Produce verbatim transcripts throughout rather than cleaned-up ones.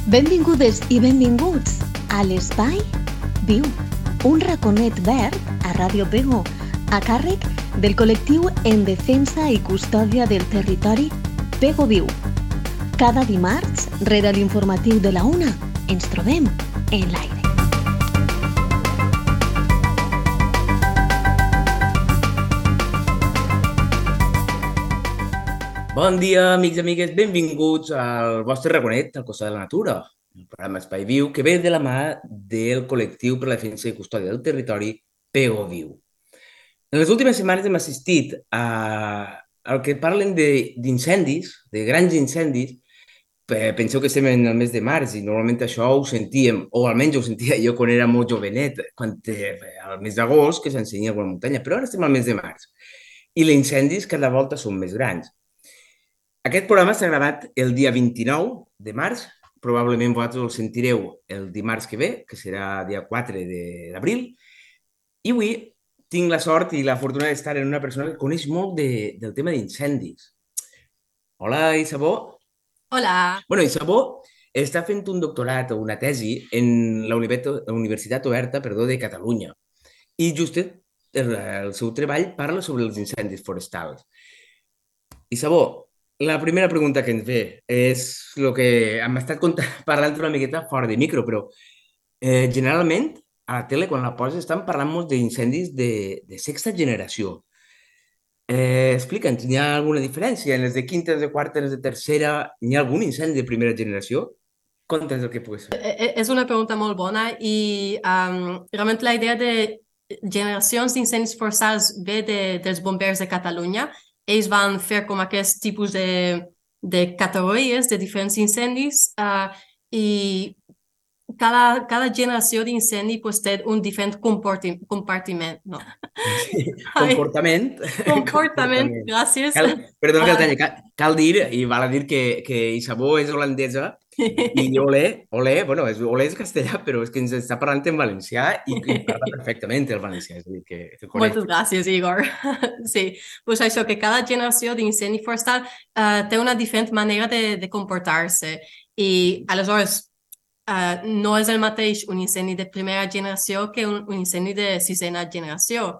Benvingudes i benvinguts a l'Espai Viu, un raconet verd a Ràdio Pego, a càrrec del col·lectiu en defensa i custòdia del territori Pego Viu. Cada dimarts, rere l'informatiu de la una, ens trobem en l'aire. Bon dia, amics i amigues, benvinguts al vostre raconet al costat de la natura, el programa Espai Viu, que ve de la mà del col·lectiu per la defensa i custòdia del territori Pego Viu. En les últimes setmanes hem assistit a, al que parlen d'incendis, de, de grans incendis. Penseu que estem en el mes de març i normalment això ho sentíem, o almenys ho sentia jo quan era molt jovenet, quan, al mes d'agost, que s'ensenya alguna muntanya, però ara estem al mes de març i els incendis cada volta són més grans. Aquest programa s'ha gravat el dia vint-i-nou de març, probablement vosaltres el sentireu el dimarts que ve, que serà dia quatre d'abril, i avui tinc la sort i la fortuna d'estar en una persona que coneix molt de, del tema d'incendis. Hola, Isabó. Hola. Bueno, Isabó està fent un doctorat o una tesi en la Universitat Oberta perdó, de Catalunya i justet el, el seu treball parla sobre els incendis forestals. Isabó, la primera pregunta que ens ve és el que hem estat parlant una miqueta fora de micro, però eh, generalment a la tele, quan la poses, estan parlant molt d'incendis de, de sexta generació. Eh, Explica'ns, hi ha alguna diferència? En les de quinta, les de quarta, les de tercera, hi ha algun incendi de primera generació? Conta'ns el que pugui ser. És una pregunta molt bona i um, realment la idea de generacions d'incendis forestals ve de, dels bombers de Catalunya. Ells van fer com aquest tipus de, de categories de diferents incendis uh, i cada, cada generació d'incendi pues, té un diferent compartiment. No. Sí, comportament. Comportament, comportament. Gràcies. Cal, perdó, uh, cal, cal dir, i val a dir que, que Isabó és holandesa i olé, olé, bueno, és, olé és castellà, però és que ens està parlant en valencià i, i parla perfectament el valencià. És a dir, que, que Moltes gràcies, Igor. Sí, pues això, que cada generació d'incendi forestal uh, té una diferent manera de, de comportar-se i aleshores uh, no és el mateix un incendi de primera generació que un, un incendi de sisena generació.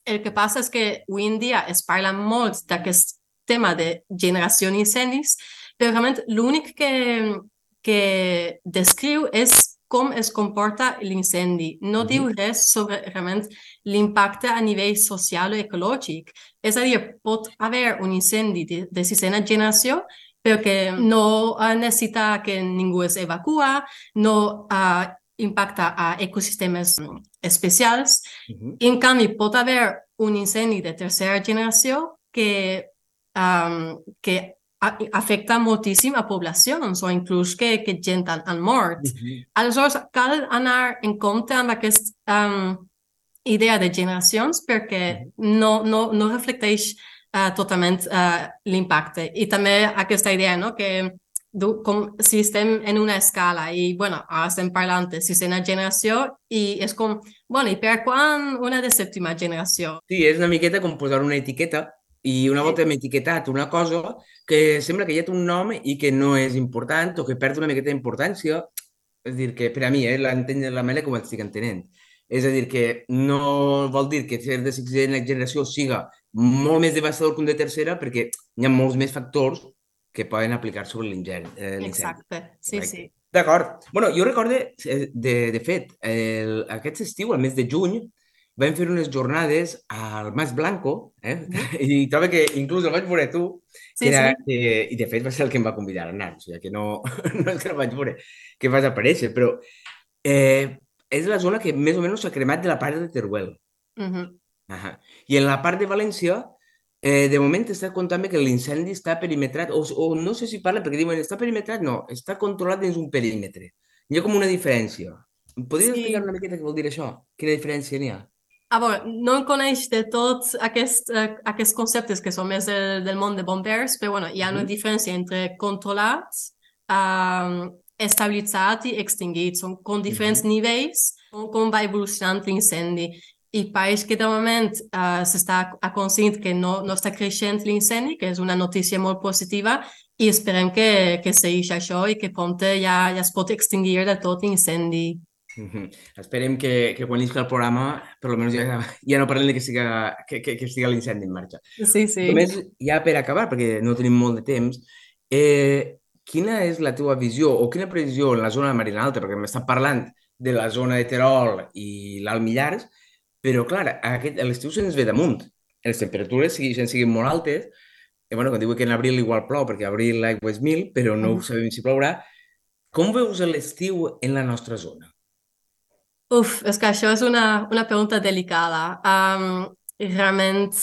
El que passa és que avui en dia es parla molt d'aquest tema de generació d'incendis, però realment l'únic que, que descriu és com es comporta l'incendi. No mm-hmm. diu res sobre realment l'impacte a nivell social o ecològic. És a dir, pot haver un incendi de, de sisena generació, però que no uh, necessita que ningú es evacua, no uh, impacta a ecosistemes especials. Mm-hmm. En canvi, pot haver un incendi de tercera generació que, um, que afecta moltíssim a poblacions o inclús que, que gent han, han mort. Mm-hmm. Aleshores, cal anar en compte amb aquesta um, idea de generacions perquè mm-hmm. no, no, no reflecteix uh, totalment uh, l'impacte. I també aquesta idea, no?, que com si estem en una escala i, bueno, ara estem parlant de sisena generació i és com, bueno, i per quan una de sèptima generació? Sí, és una miqueta com posar una etiqueta i una volta hem etiquetat una cosa que sembla que hi ha un nom i que no és important o que perd una miqueta d'importància. És a dir, que per a mi, eh, l'entenc de la manera com estic entenent. És a dir, que no vol dir que ser de sisena generació siga molt més devastador que un de tercera perquè hi ha molts més factors que poden aplicar sobre l'incendi. Eh, Exacte, sí, right? Sí. D'acord. Bueno, jo recorde, de, de fet, el, aquest estiu, al mes de juny, vam fer unes jornades al Mas Blanco, eh? Mm. I trobo que inclús el vaig veure tu, sí, que era, sí. que, i de fet va ser el que em va convidar a anar, o sigui que no, no és que el vaig veure, que vas aparèixer, però eh, és la zona que més o menys s'ha cremat de la part de Teruel. Mm-hmm. Ahà. I en la part de València, eh, de moment està contant que l'incendi està perimetrat, o, o no sé si parla perquè diuen està perimetrat, no, està controlat dins un perímetre. Hi ha com una diferència. Podries sí. explicar una miqueta què vol dir això? Quina diferència n'hi ha? Ah, bueno, no en coneix de tots aquests, uh, aquests conceptes que són més del, del món de bombers, però bueno, hi ha una mm-hmm. diferència entre controlat, uh, estabilitzat i extingit. Són com diferents mm-hmm. nivells com, com va evolucionant l'incendi. I pareix que de moment uh, s'està aconseguint que no, no està creixent l'incendi, que és una notícia molt positiva, i esperem que, que segueixi això i que prompte ja, ja es pot extingir de tot l'incendi. Mhm. Esperem que, que quan isca el programa, per almenys ja, ja no parlem de que, siga, que, que, que estigui l'incendi en marxa. Sí, sí. Només, ja per acabar, perquè no tenim molt de temps, eh, quina és la teva visió o quina previsió en la zona de Marina Alta? Perquè m'estàs parlant de la zona de Terol i l'Alt Millars, però, clar, aquest, l'estiu se'ns ve damunt. Les temperatures segueixen siguin molt altes. I, bueno, quan diu que en abril igual plou, perquè a abril l'aigua és mil, però no Mhm. sabem si plourà. Com veus l'estiu en la nostra zona? Uf, és que això és una, una pregunta delicada. Um, realment,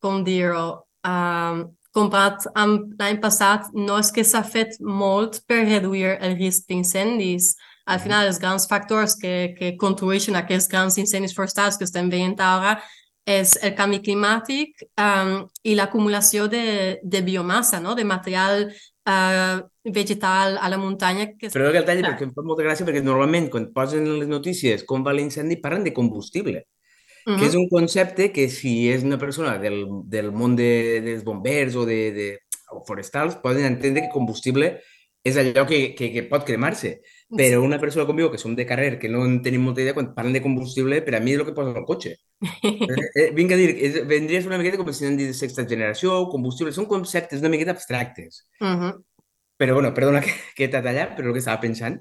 com dir-ho, um, comparat amb l'any passat, no és que s'ha fet molt per reduir el risc d'incendis. Al Mhm. final, els grans factors que, que contribueixen a aquests grans incendis forestals que estem veient ara és el canvi climàtic um, i l'acumulació de, de biomassa, no? De material uh, vegetal a la muntanya. Que... Però que el talli perquè em fa molta gràcia perquè normalment quan posen les notícies com va l'incendi parlen de combustible, Uh que és -huh. un concepte que si és una persona del, del món de, dels bombers o de, de o forestals poden entendre que combustible és allò que, que, que pot cremar-se. Però una persona com jo, que som de carrer, que no en tenim molta idea, quan parlen de combustible, per a mi és el que posa al cotxe. Eh, eh, vinc a dir, és, vendria a ser una miqueta com si anem de sexta generació, combustible, són conceptes una miqueta abstractes. Uh -huh. Però, bueno, perdona que, que t'ha tallat, però el que estava pensant.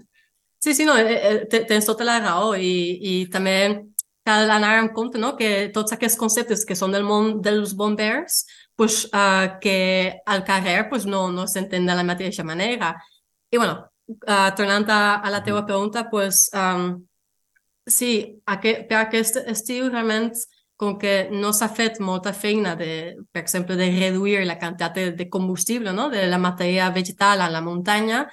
Sí, sí, no, eh, eh, te- tens tota la raó i, i també cal anar en compte, no? Que tots aquests conceptes que són del món dels bombers, pues, uh, que al carrer pues, no, no s'entén de la mateixa manera. I bueno, uh, tornant a, a la teva pregunta, pues, um, sí, aquest, per aquest estiu realment com que no s'ha fet molta feina de, per exemple, de reduir la quantitat de, de combustible, no? De la matèria vegetal a la muntanya,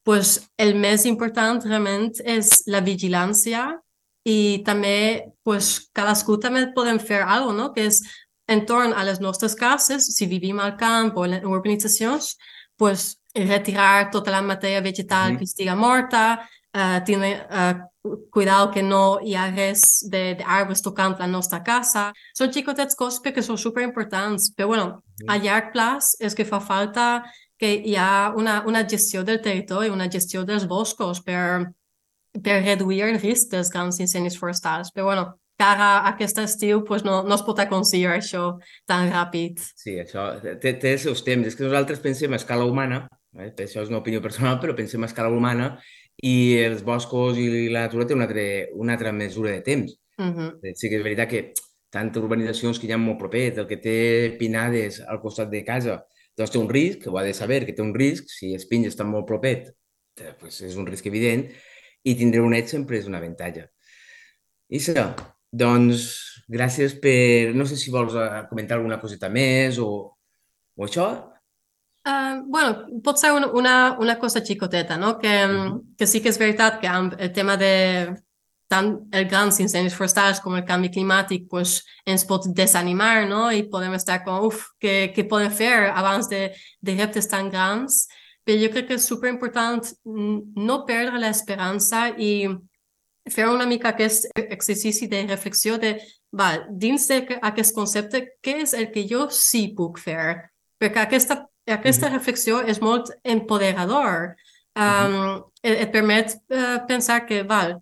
pues el més important realment és la vigilància i també pues, cadascú també podem fer alguna cosa, no? Que és entorn a les nostres cases, si vivim al camp o en urbanitzacions, pues, retirar tota la matèria vegetal Mhm. que estiga morta, uh, tindre uh, cuidar que no hi ha res d'arbres tocant la nostra casa. Són xicotets coses que són superimportants, però bueno, a llarg plaç és que fa falta que hi ha una, una gestió del territori, una gestió dels boscos per, per reduir el risc dels grans incendis forestals. Però bueno, cara a aquest estiu pues no, no es pot aconseguir això tan ràpid. Sí, això té, té els seus temps. És que nosaltres pensem a escala humana, eh? Això és una opinió personal, però pensem a escala humana i els boscos i la natura té una altra, una altra mesura de temps. Uh -huh. Sí que és veritat que tantes urbanitzacions que hi ha molt propers, el que té pinades al costat de casa, doncs té un risc, ho ha de saber que té un risc, si els pins estan molt propers, doncs és un risc evident, i tindre un net sempre és un avantatge. Isa, doncs gràcies per... No sé si vols eh, comentar alguna coseta més o, o això. Uh, bueno, pot ser una, una, una cosa xicoteta, no? Que, Uh -huh. que sí que és veritat que amb el tema de tant els grans incendis forestals com el canvi climàtic pues, ens pot desanimar, no? I podem estar com, uf, què, què podem fer abans de, de reptes tan grans? Però jo crec que és superimportant no perdre l'esperança i fer una mica aquest exercici de reflexió de, val, dins d'aquest concepte, què és el que jo sí puc fer? Perquè aquesta, aquesta Uh -huh. reflexió és molt empoderador. Um, uh -huh. et, et permet uh, pensar que, val,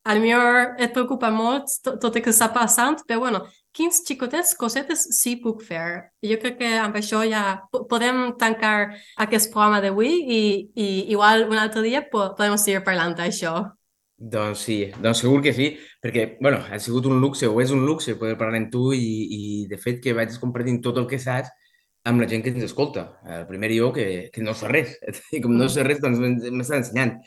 a lo millor et preocupa molt tot, tot el que està passant, però bueno, quins xicotets cosetes sí puc fer? Jo crec que amb això ja podem tancar aquest programa d'avui i, i igual un altre dia podem seguir parlant d'això. Doncs sí, doncs segur que sí, perquè, bueno, ha sigut un luxe, o és un luxe poder parlar amb tu i, i de fet, que vaig compartint tot el que saps amb la gent que ens escolta. El primer jo, que, que no sé res, i com no sé res, doncs m'està ensenyant.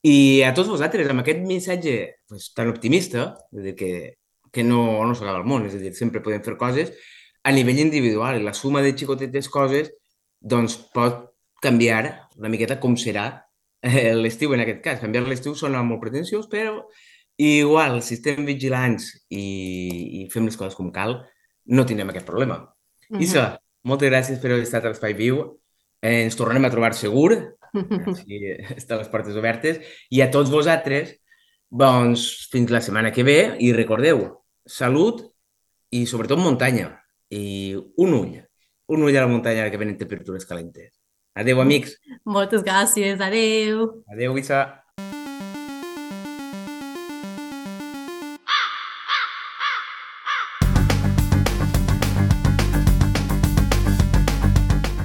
I a tots vosaltres, amb aquest missatge pues, tan optimista, és a dir, que, que no, no s'acaba el món, és a dir, sempre podem fer coses a nivell individual, i la suma de xicotetes coses doncs pot canviar una miqueta com serà l'estiu en aquest cas. Canviar l'estiu sona molt pretensiós, però igual, si estem vigilants i, i fem les coses com cal, no tindrem aquest problema. Uh -huh. Isa, moltes gràcies per haver estat a l'Espai Viu. Eh, ens tornarem a trobar segur. Així estan les portes obertes. I a tots vosaltres, doncs, fins la setmana que ve. I recordeu, salut i sobretot muntanya. I un ull. Un ull a la muntanya que venen temperatures calentes. Adéu, amics. Moltes gràcies, adeu. Adéu, Isa.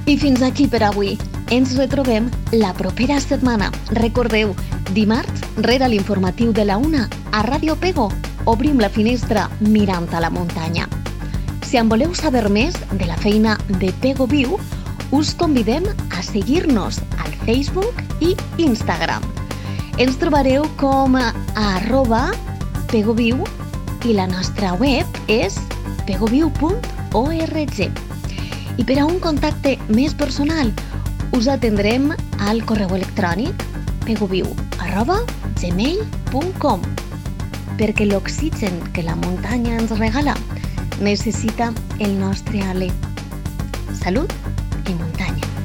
I fins aquí per avui. Ens retrobem la propera setmana. Recordeu, dimarts, rere l'informatiu de la una, a Ràdio Pego, obrim la finestra mirant a la muntanya. Si en voleu saber més de la feina de Pego Viu, us convidem a seguir-nos al Facebook i Instagram. Ens trobareu com a arroba pegoviu i la nostra web és pegoviu punt org. I per a un contacte més personal, us atendrem al correu electrònic pegoviu arroba gmail punt com, perquè l'oxigen que la muntanya ens regala necessita el nostre alè. Salut i muntanya.